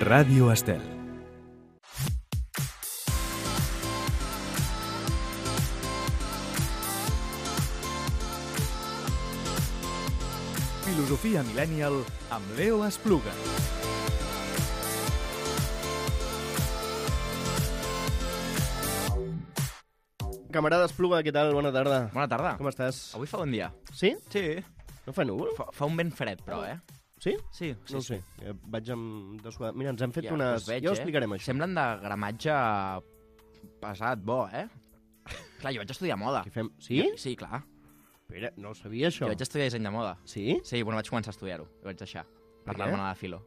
Ràdio Estel. Filosofia Millennial amb Leo Espluga. Camarada Espluga, què tal? Bona tarda. Bona tarda. Com estàs? Avui fa bon dia. Sí? Sí. No fa núvol? Fa un vent fred, però, Sí? Sí, No ho sé. Vaig amb dessuadar. Mira, ens hem fet Ja, unes... us veig, Ja ho explicarem, això. Semblen de gramatge pesat, bo, Clar, jo vaig estudiar moda. Què fem? Sí? Sí, clar. Espera, no ho sabia, això. Jo vaig estudiar disseny de moda. Sí? Sí, bueno, vaig començar a estudiar-ho. Ho vaig deixar. Per Per què? l'almana de filo.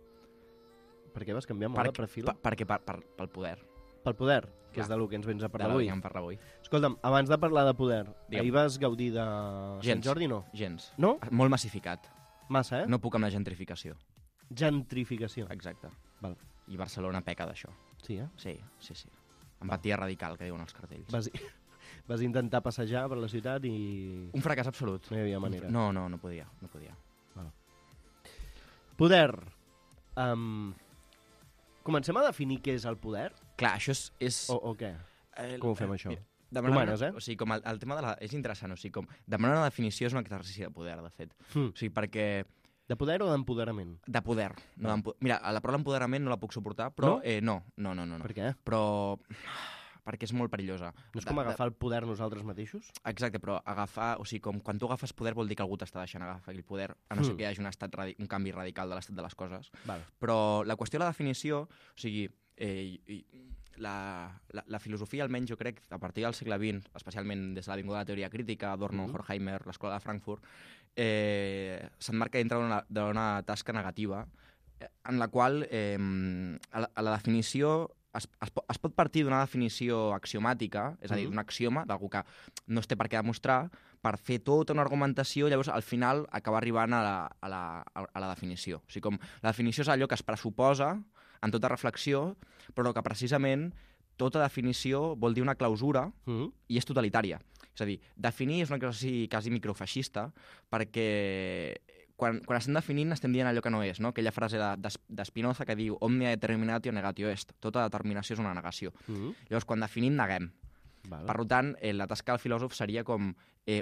Per què vas canviar moda per fil? Perquè pel poder. Pel poder, que Clar. és del que ens vens a De parlar la avui. que em parla avui. Escolta'm, abans de parlar de poder, Digue'm. ahir vas gaudir de Sant Gens. Jordi, no? Gens. No? Molt massificat. Massa, eh? No puc amb la gentrificació. Gentrificació. Exacte. Val. I Barcelona peca d'això. Sí, eh? Sí. Empatia radical, que diuen els cartells. Vas intentar passejar per la ciutat i... Un fracàs absolut. No hi havia manera. No podia. Poder. Comencem a definir què és el poder? Clar, això és... O què? Com ho fem, això? Demanar Romanes, O sigui, com el tema de la... És interessant, o sigui, com demanar una definició és un exercici de poder, de fet. O sigui, perquè... De poder o d'empoderament? De poder. No Mira, la paraula empoderament no la puc suportar, però... No? No. Per què? Però... Perquè és molt perillosa. No és com agafar el poder nosaltres mateixos? Exacte, però agafar... O sigui, com quan tu agafes poder vol dir que algú t'està deixant agafar aquell poder, a no ser que hi hagi un canvi radical de l'estat de les coses. Val. Però la qüestió de la definició, o sigui, la filosofia, almenys jo crec, a partir del segle XX, especialment des de l'avinguda de la teoria crítica, Adorno, Horkheimer, l'escola de Frankfurt, s'emmarca dintre d'una tasca negativa en la qual a la definició es pot partir d'una definició axiomàtica, és a dir, d'un axioma, d'algú que no es té per què demostrar, per fer tota una argumentació, llavors al final acabar arribant a la definició. O sigui, com la definició és allò que es pressuposa en tota reflexió, però que precisament tota definició vol dir una clausura i és totalitària. És a dir, definir és una cosa quasi microfeixista, perquè quan estem definint estem dient allò que no és, no? Aquella frase de Spinoza que diu omnia determinatio negatio est, tota determinació és una negació. Llavors, quan definim, neguem. Per tant, la tasca del filòsof seria com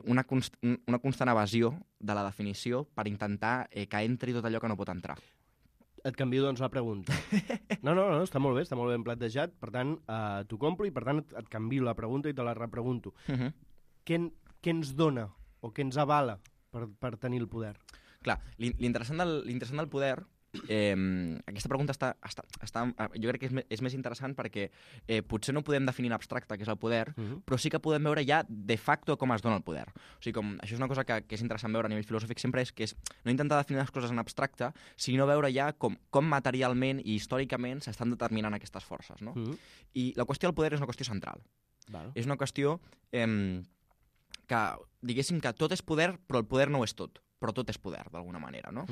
una constant evasió de la definició per intentar que entri tot allò que no pot entrar. Et canvio, doncs, la pregunta. No, està molt bé ben plantejat. Per tant, t'ho compro i, per tant, et canvio la pregunta i te la repregunto. Què ens dona o què ens avala per tenir el poder? Clar, l'interessant del poder, aquesta pregunta jo crec que és més interessant perquè potser no podem definir en abstracte què és el poder, però sí que podem veure ja de facto com es dona el poder. O sigui, això és una cosa que és interessant veure a nivell filosòfic sempre, que és no intentar definir les coses en abstracte, sinó veure ja com materialment i històricament s'estan determinant aquestes forces. No? I la qüestió del poder és una qüestió central. És una qüestió que, diguéssim que tot és poder, però el poder no ho és tot. Però tot és poder, d'alguna manera, no?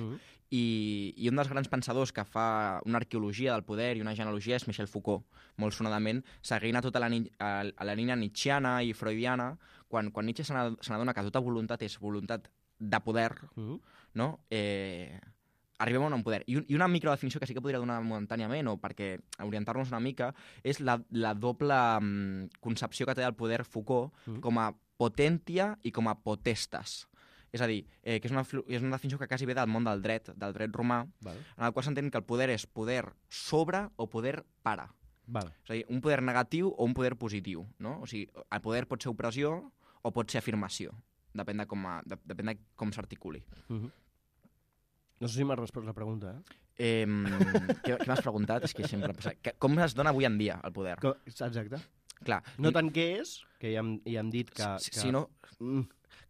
I un dels grans pensadors que fa una arqueologia del poder i una genealogia és Michel Foucault, molt sonadament, seguint a tota la línia nietzschiana i freudiana, quan Nietzsche se n'adona que tota voluntat és voluntat de poder, no? Arribem a un poder. I una microdefinició que sí que podria donar momentàniament, o perquè orientar-nos una mica, és la doble concepció que té del poder Foucault com a potentia i com a potestas. És a dir, que és una definició que quasi ve del món del dret romà, en el qual s'entén que el poder és poder sobre o poder para. És a dir, un poder negatiu o un poder positiu. No? O sigui, el poder pot ser opressió o pot ser afirmació. Depèn de com s'articuli. No sé si m'has respost la pregunta, Què m'has preguntat? És que sempre passa. Com es dona avui en dia el poder? Exacte. Clar. No tant què és, que ja hem dit que... Sinó...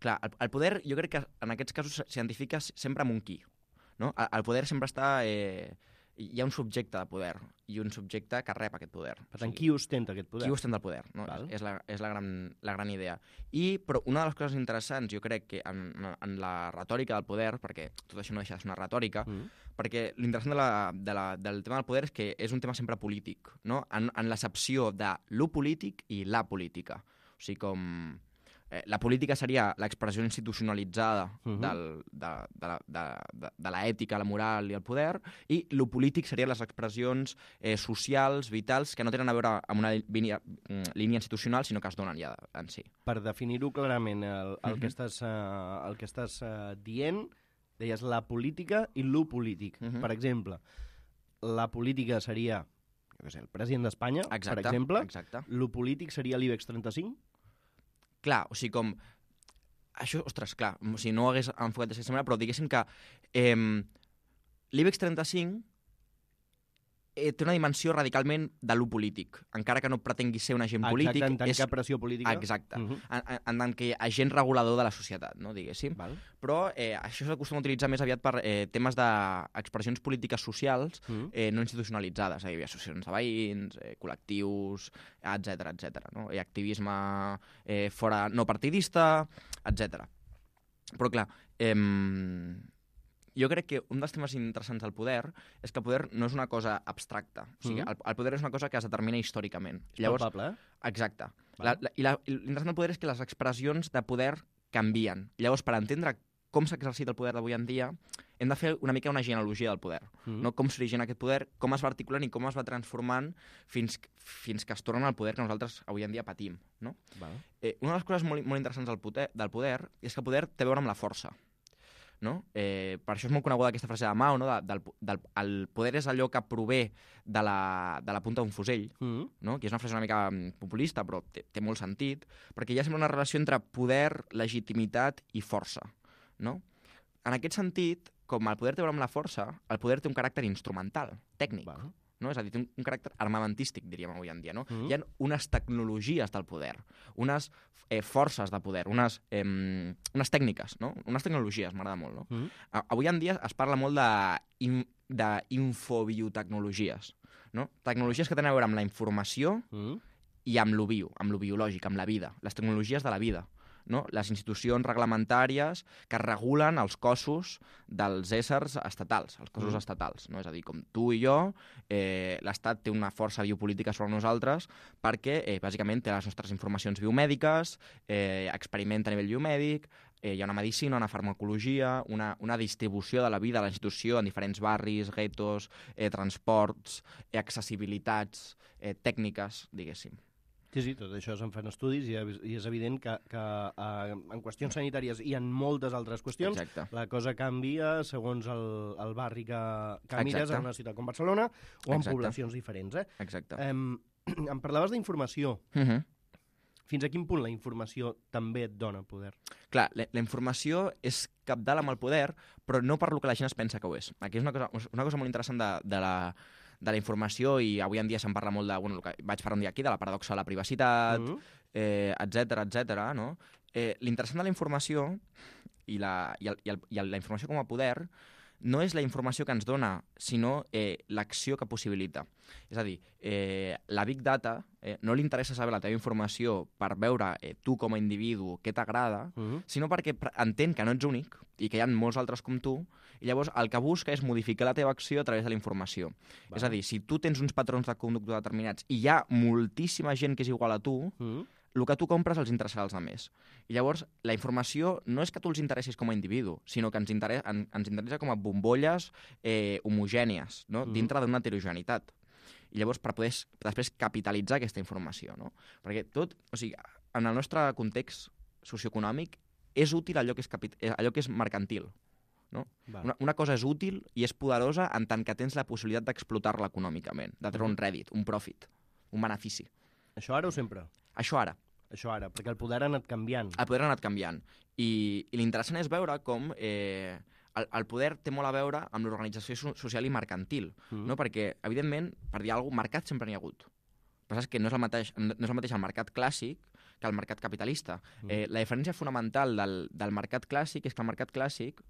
Clar, el poder jo crec que en aquests casos s'identifica sempre amb un qui. No? El poder sempre està... Hi ha un subjecte de poder i un subjecte que rep aquest poder. Per tant, qui ostenta aquest poder? Qui ostenta el poder, no? És la gran idea. Però una de les coses interessants, jo crec, que en la retòrica del poder, perquè tot això no deixa de ser una retòrica, perquè l'interessant del tema del poder és que és un tema sempre polític, no? En l'accepció de lo polític i la política. O sigui, com... la política seria l'expressió institucionalitzada de l'ètica, la moral i el poder, i lo polític serien les expressions socials, vitals, que no tenen a veure amb una línia institucional, sinó que es donen ja en si. Per definir-ho clarament, el que estàs dient, deies la política i lo polític. Per exemple, la política seria el president d'Espanya, per exemple. Exacte. Lo polític seria l'IBEX 35? Clar, o sigui, com... Això, ostres, clar, o sigui, no ho hagués enfocat d'aquesta manera, però diguéssim que l'IBEX 35 té una dimensió radicalment de lo polític, encara que no pretengui ser un agent polític. Exacte, en tant que pressió política. Exacte, en tant que agent regulador de la societat, no, diguéssim. Val. Però això s'acostuma a utilitzar més aviat per temes d'expressions polítiques socials no institucionalitzades, és a dir, associacions de veïns, col·lectius, etc., no? I activisme fora no partidista, etc. Però clar, jo crec que un dels temes interessants del poder és que el poder no és una cosa abstracta. O sigui, el poder és una cosa que es determina històricament. És palpable, Exacte. I l'interessant del poder és que les expressions de poder canvien. Llavors, per entendre com s'exercita el poder d'avui en dia, hem de fer una mica una genealogia del poder. No? Com s'origina aquest poder, com es va articulant i com es va transformant fins que es torna al poder que nosaltres avui en dia patim. No? Una de les coses molt interessants del poder és que el poder té a veure amb la força. No? Per això és molt coneguda aquesta frase de Mao, no? El poder és allò que prové de la punta d'un fusell, no? Que és una frase una mica populista, però té molt sentit, perquè hi ha sempre una relació entre poder, legitimitat i força. No? En aquest sentit, com el poder té a veure amb la força, el poder té un caràcter instrumental, tècnic. No? És a dir, té un caràcter armamentístic, diríem avui en dia. No? Hi ha unes tecnologies del poder, unes forces de poder, unes tècniques, no? Unes tecnologies, m'agrada molt. No? Avui en dia es parla molt d'infobiotecnologies, no? Tecnologies que tenen a veure amb la informació i amb lo bio, amb lo biològic, amb la vida, les tecnologies de la vida. No? Les institucions reglamentàries que regulen els cossos dels éssers estatals, els cossos estatals. No? És a dir, com tu i jo, l'Estat té una força biopolítica sobre nosaltres perquè, bàsicament, té les nostres informacions biomèdiques, experimenta a nivell biomèdic, hi ha una medicina, una farmacologia, una distribució de la vida de la institució en diferents barris, guetos, transports, accessibilitats, tècniques, diguéssim. Sí, tot això se'n fan estudis i és evident que en qüestions sanitàries i en moltes altres qüestions la cosa canvia segons el barri que mires en una ciutat com Barcelona o en poblacions diferents. Exacte. Em parlaves d'informació. Fins a quin punt la informació també et dona poder? Clar, la informació és cabdal amb el poder, però no per lo que la gent es pensa que ho és. Aquí és una cosa molt interessant de la informació, i avui en dia se'n parla molt de, el que vaig parlar un dia aquí, de la paradoxa de la privacitat, etc. No? L'interessant de la informació i la informació com a poder no és la informació que ens dona, sinó l'acció que possibilita. És a dir, la Big Data no li interessa saber la teva informació per veure tu com a individu què t'agrada, sinó perquè entén que no ets únic i que hi ha molts altres com tu, i llavors el que busca és modificar la teva acció a través de la informació. És a dir, si tu tens uns patrons de conducta determinats i hi ha moltíssima gent que és igual a tu, el que tu compres els interessarà als altres. I llavors, la informació no és que tu els interessis com a individu, sinó que ens interessa com a bombolles homogènies, no? Dintre d'una heterogeneïtat. I llavors, per poder després capitalitzar aquesta informació. No? Perquè tot, o sigui, en el nostre context socioeconòmic, és útil allò que és mercantil. No? Una cosa és útil i és poderosa en tant que tens la possibilitat d'explotar-la econòmicament, de treure un rèdit, un profit, un benefici. Això ara o sempre? Això ara. Això ara, perquè el poder ha anat canviant. El poder ha anat canviant. I l'interessant és veure com el poder té molt a veure amb l'organització social i mercantil, no? Perquè, evidentment, per dir alguna cosa, mercat sempre n'hi ha hagut. El que passa és que no és el mateix el mercat clàssic que el mercat capitalista. La diferència fonamental del mercat clàssic és que el mercat clàssic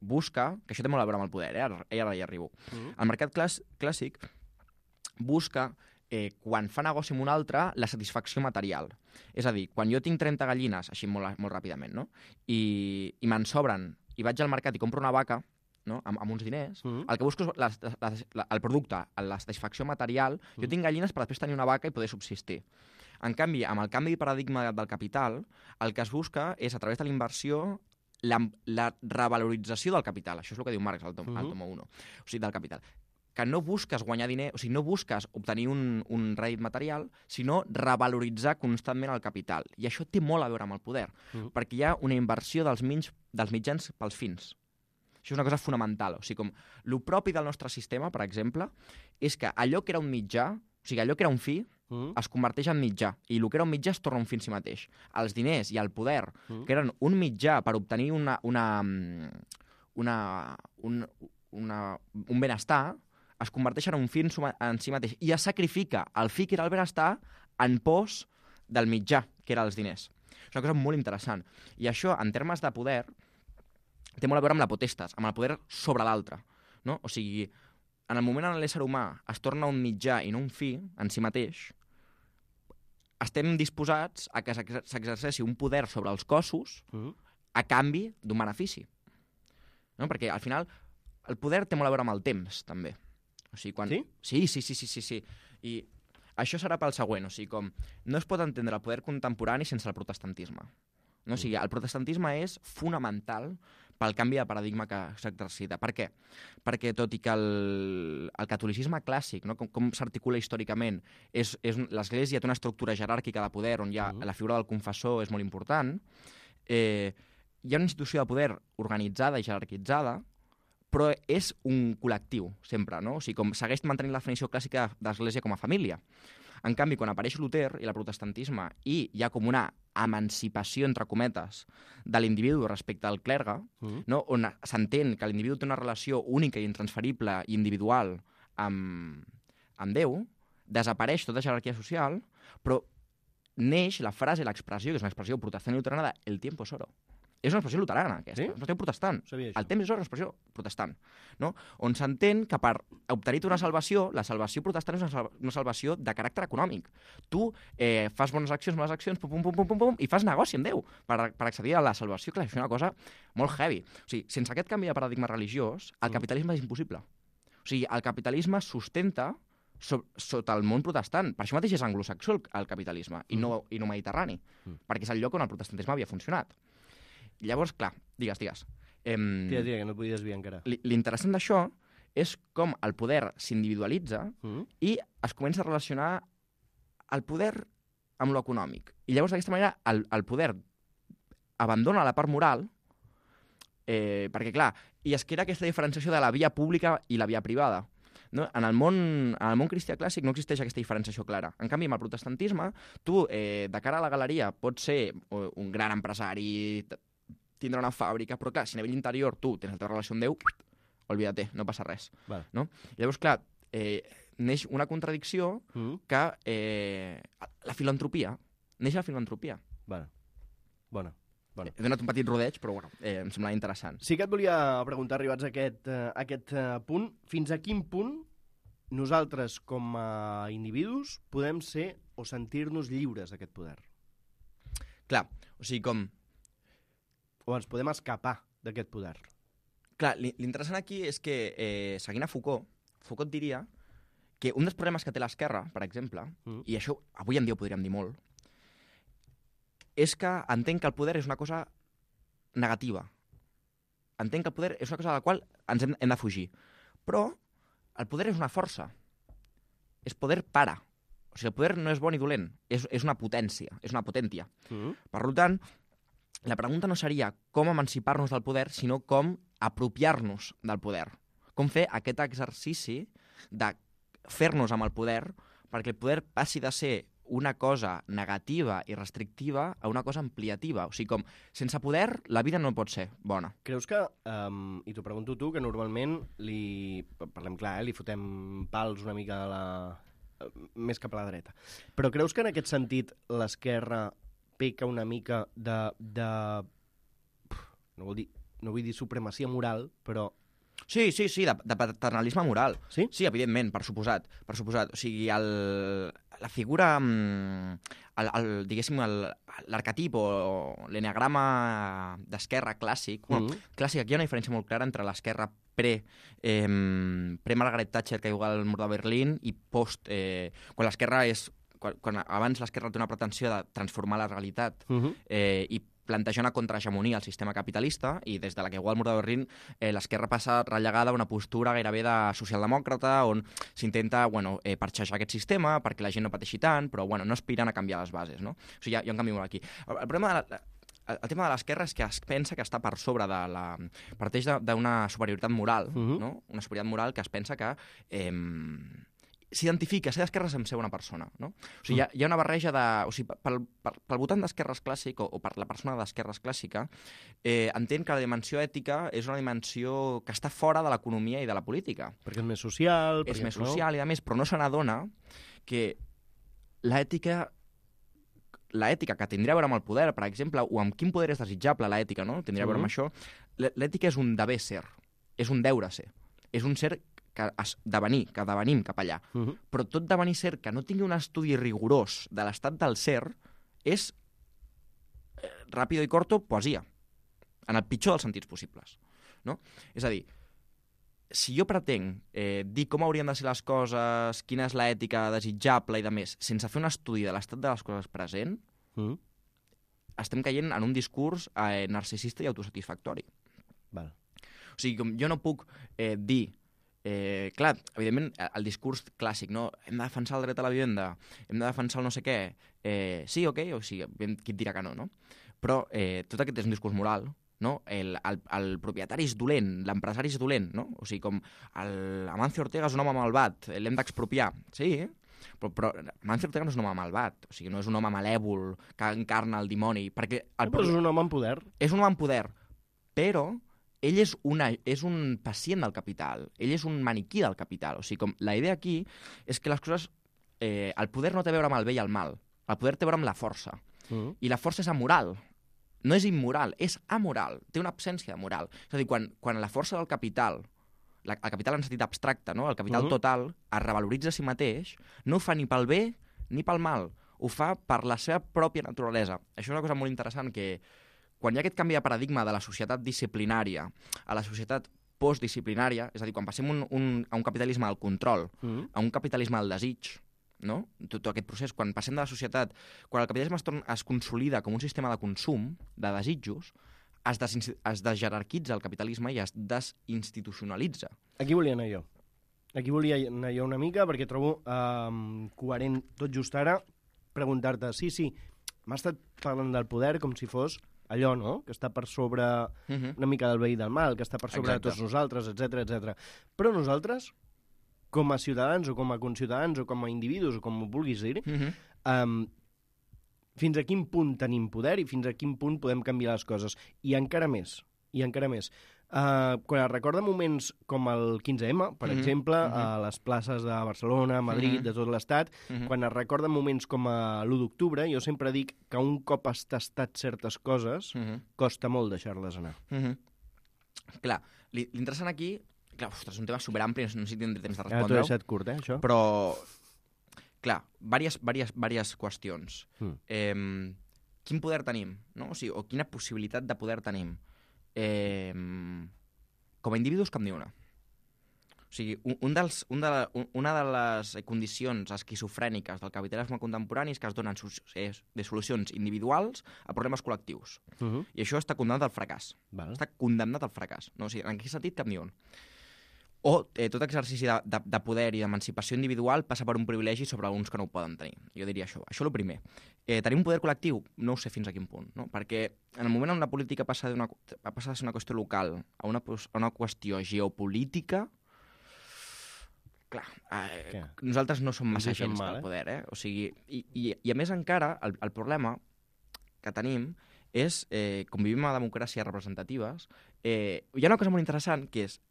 busca, que això té molt a veure amb el poder, ara hi arribo. El mercat clàssic busca, quan fa negoci amb un altre, la satisfacció material. És a dir, quan jo tinc 30 gallines, així molt ràpidament, no? I me'n sobren, i vaig al mercat i compro una vaca, no? Amb uns diners, el que busco és el producte, la satisfacció material. Jo tinc gallines per després tenir una vaca i poder subsistir. En canvi, amb el canvi de paradigma del capital, el que es busca és, a través de la inversió, la revalorització del capital. Això és el que diu Marx al tomo 1, o sigui, del capital. Que no busques guanyar diner, o sigui, no busques obtenir un rèdit material, sinó revaloritzar constantment el capital. I això té molt a veure amb el poder, perquè hi ha una inversió dels mitjans pels fins. Això és una cosa fonamental. O sigui, com el propi del nostre sistema, per exemple, és que allò que era un mitjà, o sigui, allò que era un fi, es converteix en mitjà, i el que era un mitjà es torna un fi en si mateix. Els diners i el poder, que eren un mitjà per obtenir un benestar, es converteix en un fi en si mateix i es sacrifica el fi que era el benestar en pos del mitjà, que eren els diners. És una cosa molt interessant. I això, en termes de poder, té molt a veure amb la potestas, amb el poder sobre l'altre. No? O sigui, en el moment en l'ésser humà es torna un mitjà i no un fi en si mateix, estem disposats a que s'exerceixi un poder sobre els cossos a canvi d'un benefici. No? Perquè, al final, el poder té molt a veure amb el temps, també. O sigui, quan... Sí? Sí. I això serà pel següent. O sigui, com no es pot entendre el poder contemporani sense el protestantisme. No? O sigui, el protestantisme és fonamental pel canvi de paradigma que s'exercita. Per què? Perquè tot i que el catolicisme clàssic, no? com s'articula històricament, l'Església té una estructura jeràrquica de poder on hi ha la figura del confessor és molt important, hi ha una institució de poder organitzada i jerarquitzada, però és un col·lectiu, sempre, no? O sigui, com segueix mantenint la definició clàssica d'Església com a família. En canvi, quan apareix Luter i el protestantisme i hi ha com una emancipació, entre cometes, de l'individu respecte al clergue, no? On s'entén que l'individu té una relació única i intransferible i individual amb Déu, desapareix tota jerarquia social, però neix la frase, l'expressió, que és una expressió protestant i luterana, de «el tiempo es oro». És una expressió luterana, aquesta. És una expressió protestant. El temps és una expressió protestant. No? On s'entén que per obtenir una salvació, la salvació protestant és una salvació de caràcter econòmic. Tu fas bones accions, i fas negoci amb Déu per accedir a la salvació. Clar, és una cosa molt heavy. O sigui, sense aquest canvi de paradigma religiós, el capitalisme és impossible. O sigui, el capitalisme sustenta sota el món protestant. Per això mateix és anglosaxó el capitalisme, i no mediterrani, perquè és el lloc on el protestantisme havia funcionat. Llavors, clar, digues. Tira, que no et vull desviar encara. L'interessant d'això és com el poder s'individualitza i es comença a relacionar el poder amb l'econòmic. I llavors, d'aquesta manera, el poder abandona la part moral, perquè, clar, i es crea aquesta diferenciació de la via pública i la via privada. No? En el món cristià clàssic no existeix aquesta diferenciació clara. En canvi, amb el protestantisme, tu, de cara a la galeria, pots ser un gran empresari, tindre una fàbrica, però clar, si a nivell interior tu tens la teva relació amb Déu, olvídate, no passa res. Vale. No? Llavors, clar, neix una contradicció que la filantropia, neix la filantropia. Vale. Bona. He donat un petit rodeig, però bueno, em semblava interessant. Sí que et volia preguntar, arribats a aquest punt, fins a quin punt nosaltres, com a individus, podem ser o sentir-nos lliures d'aquest poder? Clar, o sigui, com... O ens podem escapar d'aquest poder? Clar, l'interessant aquí és que, seguint a Foucault diria que un dels problemes que té l'esquerra, per exemple, i això avui en dia ho podríem dir molt, és que entenc que el poder és una cosa negativa. Entenc que el poder és una cosa de la qual ens hem de fugir. Però el poder és una força. És poder para. O sigui, el poder no és bon i dolent. És una potència, és una potència. Per tant, la pregunta no seria com emancipar-nos del poder, sinó com apropiar-nos del poder. Com fer aquest exercici de fer-nos amb el poder perquè el poder passi de ser una cosa negativa i restrictiva a una cosa ampliativa. O sigui, com, sense poder, la vida no pot ser bona. Creus que, i t'ho pregunto tu, que normalment parlem clar, li fotem pals una mica més cap a la dreta, però creus que en aquest sentit l'esquerra peca una mica no vull dir supremacia moral, però... Sí, de paternalisme moral. Sí? Sí, evidentment, per suposat. O sigui, la figura, diguéssim, l'arquetip o l'eneagrama d'esquerra clàssic, clàssic, aquí hi ha una diferència molt clara entre l'esquerra pre-Margaret Thatcher, que juga al mur de Berlín, i post... quan l'esquerra és quan abans l'esquerra té una pretensió de transformar la realitat i plantejar una contrahegemonia al sistema capitalista, i des de la caiguda del mur de Berlín l'esquerra passa relegada a una postura gairebé de socialdemòcrata on s'intenta parxejar aquest sistema perquè la gent no pateixi tant, però no aspiren a canviar les bases. No? O sigui, hi ha un canvi molt aquí. El problema el tema de l'esquerra és que es pensa que està per sobre de la... parteix d'una superioritat moral, no? Una superioritat moral que es pensa que s'identifica, ser d'esquerra és ser una persona, no? O sigui, hi ha una barreja de... O sigui, pel votant d'esquerres clàssic o per la persona d'esquerres clàssica, entén que la dimensió ètica és una dimensió que està fora de l'economia i de la política. Perquè és més social... És més social i a més, però no se n'adona que l'ètica que tindria a veure amb el poder, per exemple, o amb quin poder és desitjable l'ètica, no? Tindria a veure amb això. L'ètica és un deber ser, és un deure ser, és un ser que devenim cap allà. Però tot devenir ser que no tingui un estudi rigorós de l'estat del ser és, ràpido i corto, poesia, en el pitjor dels sentits possibles. No? És a dir, si jo pretenc dir com haurien de ser les coses, quina és l'ètica desitjable i de més, sense fer un estudi de l'estat de les coses present, estem caient en un discurs narcisista i autosatisfactori. Val. O sigui, com jo no puc dir... clar, evidentment, el discurs clàssic, no? Hem de defensar el dret a la vivenda, hem de defensar el no sé què, sí, ok, o sigui, qui et dirà que no, no? Però tot aquest és un discurs moral, no? El propietari és dolent, l'empresari és dolent, no? O sigui, com Amancio Ortega és un home malvat, l'hem d'expropiar, sí, però Amancio Ortega no és un home malvat, o sigui, no és un home malèvol que encarna el dimoni, perquè... Però és un home amb poder. És un home amb poder, però ell és un pacient del capital, ell és un maniquí del capital. O sigui, com la idea aquí és que les coses... el poder no té a veure amb el bé i el mal, el poder té a veure amb la força. I la força és amoral. No és immoral, és amoral, té una absència de moral. És a dir, quan la força del capital, el capital en sentit abstracte, no? El capital total, es revaloritza a si mateix, no ho fa ni pel bé ni pel mal, ho fa per la seva pròpia naturalesa. Això és una cosa molt interessant que... Quan hi ha aquest canvi de paradigma de la societat disciplinària a la societat postdisciplinària, és a dir, quan passem a un capitalisme del control, a un capitalisme del desig, no? Tot aquest procés, quan passem de la societat, quan el capitalisme es consolida com un sistema de consum, de desitjos, es desjerarquitza el capitalisme i es desinstitucionalitza. Aquí volia anar jo. Aquí volia anar jo una mica, perquè trobo coherent tot just ara preguntar-te, sí, m'ha estat parlant del poder com si fos allò, no?, que està per sobre una mica del bé i del mal, que està per sobre de tots nosaltres, etc. Però nosaltres, com a ciutadans o com a conciutadans o com a individus o com ho vulguis dir, fins a quin punt tenim poder i fins a quin punt podem canviar les coses. I encara més. Quan es recorda moments com el 15M, per exemple, a les places de Barcelona, Madrid, de tot l'estat, quan es recorda moments com l'1 d'octubre, jo sempre dic que un cop has tastat certes coses, costa molt deixar-les anar. Clar, l'interessant aquí... Clar, ostres, és un tema superampli, no sé si tindré temps de respondre-ho. T'ho he deixat curt, això? Però, clar, diverses qüestions. Quin poder tenim, no? O sigui, o quina possibilitat de poder tenim? Com a individus, cap ni una. O sigui, una de les condicions esquizofrèniques del capitalisme contemporani és que es donen solucions individuals a problemes col·lectius. I això està condemnat al fracàs. Està condemnat al fracàs. No? O sigui, en aquest sentit, cap ni un. O tot exercici de poder i d'emancipació individual passa per un privilegi sobre alguns que no ho poden tenir. Jo diria això. Això és el primer. Tenim un poder col·lectiu? No ho sé fins a quin punt. No? Perquè en el moment on la política passa de ser una qüestió local a una qüestió geopolítica, clar, nosaltres no som massa gens del poder. O sigui, i a més encara, el problema que tenim és, com vivim a democràcies representatives, hi ha una cosa molt interessant, que és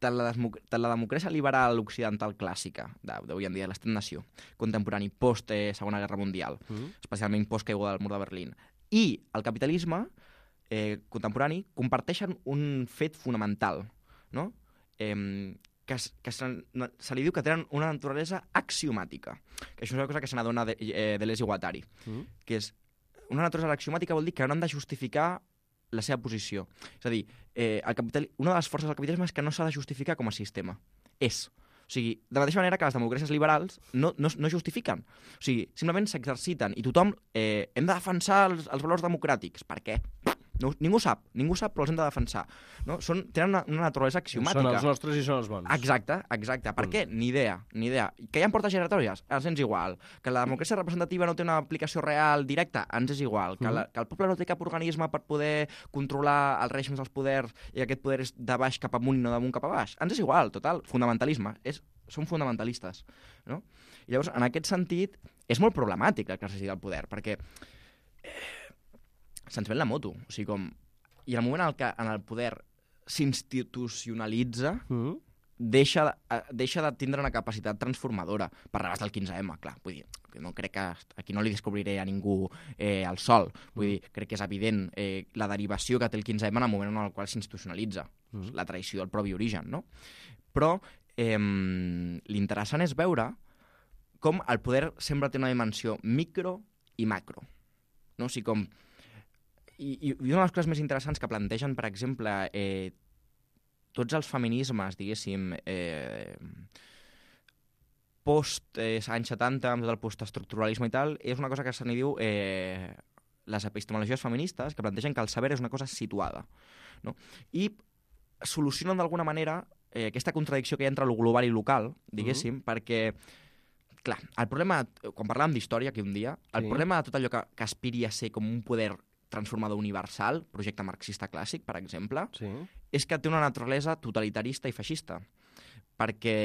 tant la democràcia liberal occidental clàssica d'avui en dia, l'estat-nació contemporani post-Segona Guerra Mundial, especialment post-caiguda del mur de Berlín, i el capitalisme contemporani comparteixen un fet fonamental, no? Que se li diu que tenen una naturalesa axiomàtica, que això és una cosa que se n'adona Deleuze i Guattari, que és una naturalesa axiomàtica vol dir que no han de justificar la seva posició. És a dir, una de les forces del capitalisme és que no s'ha de justificar com a sistema. És. O sigui, de la mateixa manera que les democràcies liberals no justifiquen. O sigui, simplement s'exerciten i tothom hem de defensar els valors democràtics. Per què? No, ningú sap, però els hem de defensar. No? Tenen una naturalesa axiomàtica. Són els nostres i són els bons. Exacte. Per què? Ni idea. Que hi ha portes giratòries? Ens és igual. Que la democràcia representativa no té una aplicació real directa? Ens és igual. Que el poble no té cap organisme per poder controlar els règims dels poders i aquest poder és de baix cap amunt i no d'amunt cap a baix? Ens és igual, total. Fonamentalisme. Són fonamentalistes. No? I llavors, en aquest sentit, és molt problemàtic l'exercici del poder, perquè se'ns ven la moto. O sigui, i en el moment en el poder s'institucionalitza, deixa de tindre una capacitat transformadora per rebàs del 15M, clar. Vull dir, no crec que aquí no li descobriré a ningú el sol. Vull dir, crec que és evident la derivació que té el 15M en el moment en el qual s'institucionalitza. La traïció del propi origen, no? Però l'interessant és veure com el poder sempre té una dimensió micro i macro. No? O sigui, I una de les coses més interessants que plantegen, per exemple, tots els feminismes, diguéssim, post-anys 70, amb tot el postestructuralisme i tal, és una cosa que se n'hi diu les epistemologies feministes, que plantegen que el saber és una cosa situada. No? I solucionen d'alguna manera aquesta contradicció que hi ha entre lo global i local, diguéssim, perquè, clar, el problema, quan parlàvem d'història aquí un dia, el problema de tot allò que aspiri a ser com un poder transformador universal, projecte marxista clàssic, per exemple, és que té una naturalesa totalitarista i feixista, perquè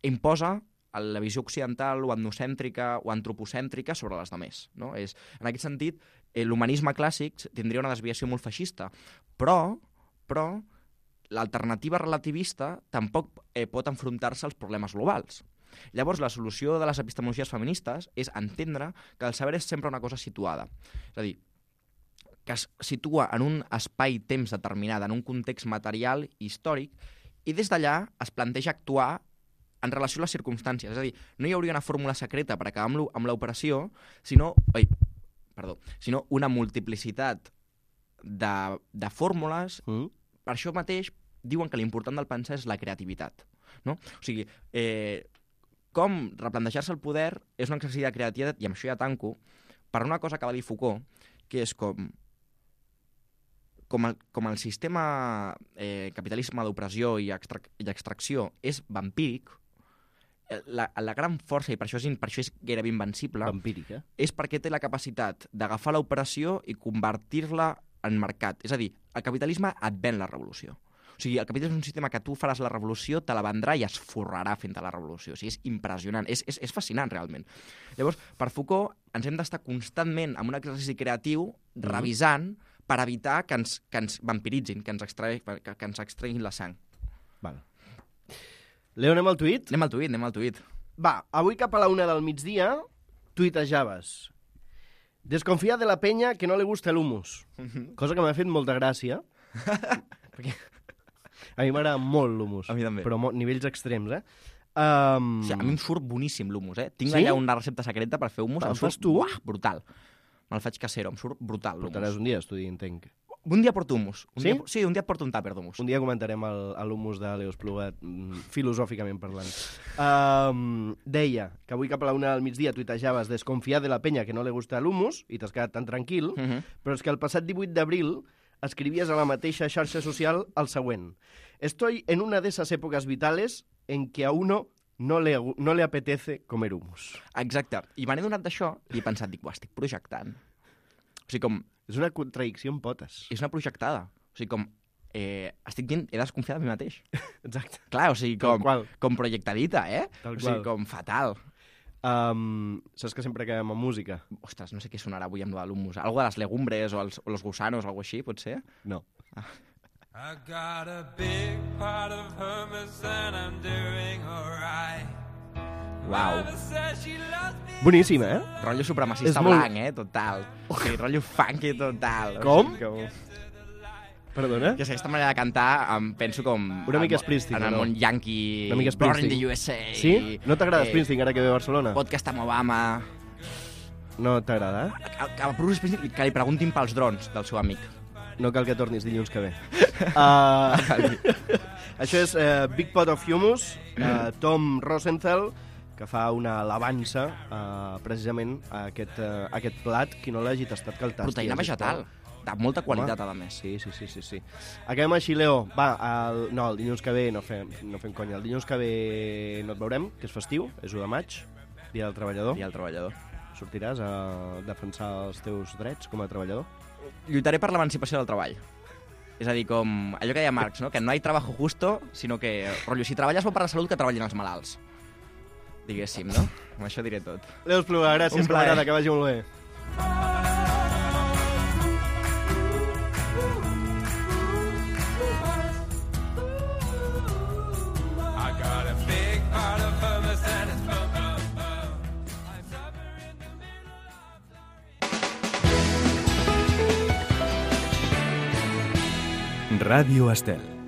imposa la visió occidental o etnocèntrica o antropocèntrica sobre les demés. No? En aquest sentit, l'humanisme clàssic tindria una desviació molt feixista, però l'alternativa relativista tampoc pot enfrontar-se als problemes globals. Llavors, la solució de les epistemologies feministes és entendre que el saber és sempre una cosa situada. És a dir, que es situa en un espai-temps determinat, en un context material i històric, i des d'allà es planteja actuar en relació a les circumstàncies. És a dir, no hi hauria una fórmula secreta per acabar amb l'operació, sinó una multiplicitat de fórmules. Per això mateix diuen que l'important del pensar és la creativitat. No? O sigui, com replantejar-se el poder és un exercici de creativitat, i amb això ja tanco, per una cosa que va dir Foucault, que és com el sistema capitalisme d'opressió i extracció és vampíric, la gran força, i per això és gairebé invencible, vampírica, és perquè té la capacitat d'agafar l'operació i convertir-la en mercat. És a dir, el capitalisme et ven la revolució. O sigui, el capitalisme és un sistema que tu faràs la revolució, te la vendrà i es forrarà fent la revolució. O sigui, és impressionant, és fascinant, realment. Llavors, per Foucault, ens hem d'estar constantment en un exercici creatiu, revisant, per evitar que ens vampiritzin, que ens extreguin la sang. Val. Leo, anem al tuit? Anem al tuit. Va, avui cap a la 1 del migdia, tuitejaves. Desconfia de la penya que no li gusta l'humus. Cosa que m'ha fet molta gràcia. Perquè a mi m'agrada molt l'humus. A mi també. Però nivells extrems, O sigui, a mi em surt boníssim l'humus, Tinc allà una recepta secreta per fer humus. Em fas tu? Brutal. Me'l faig casero, em surt brutal l'humus. Portaràs un dia a estudi, entenc. Un dia porto humus. Sí? Un dia porto un tàper d'humus. Un dia comentarem l'humus de Leo Espluga, filosòficament parlant. Deia que avui cap a la 1 del migdia tuitejaves desconfiar de la penya que no li gusta l'humus i t'has quedat tan tranquil, però és que el passat 18 d'abril escribies a la mateixa xarxa social el següent. Estoy en una de esas épocas vitales en que a uno no le apetece comer humus. Exacte. I me n'he donat d'això i he pensat, estic projectant. O sigui, com... És una contradicció en potes. És una projectada. O sigui, com... estic dient, he desconfiat de mi mateix. Exacte. Clar, o sigui, com projectadita, Tal o sigui, com fatal. Saps que sempre acabem amb música? Ostres, no sé què sonarà avui amb l'humus. Algo de les legumbres o los gusanos o alguna així, pot ser? No. I got a big pot of hummus and I'm doing alright. Uau. Boníssim, Rotllo supremacista blanc, total. O sigui, rotllo funky total. Com? O sigui, Perdona? que aquesta manera de cantar em penso com... Una mica Springsteen, en el món yankee, una mica Born in Springsteen. the USA... Sí? No t'agrada Springsteen ara que ve a Barcelona? Podcast amb Obama... No t'agrada? A Bruce Springsteen que li preguntin pels drons del seu amic. No cal que tornis dilluns que ve. Això és Big Pot of Hummus, Tom Rosenthal, que fa una alabança precisament a aquest plat. Qui no l'hagi tastat, que el tasti. Proteïna vegetal, de molta qualitat, a més. Sí. Acabem així, Leo. Va, el dilluns que ve no fem conya. El dilluns que ve no et veurem, que és festiu, és 1 de maig, Dia del Treballador. Dia del Treballador. Sortiràs a defensar els teus drets com a treballador? Lluitaré per l'emancipació del treball. És a dir, com allò que deia Marx, no? Que no hi ha trabajo justo, sinó que, rotllo, si treballes bo per la salut, que treballin els malalts. Diguéssim, no? Amb això diré tot. Leo Espluga, gràcies, camarada, que vagi molt bé. I got a big pot of hummus and it's Ràdio Estel.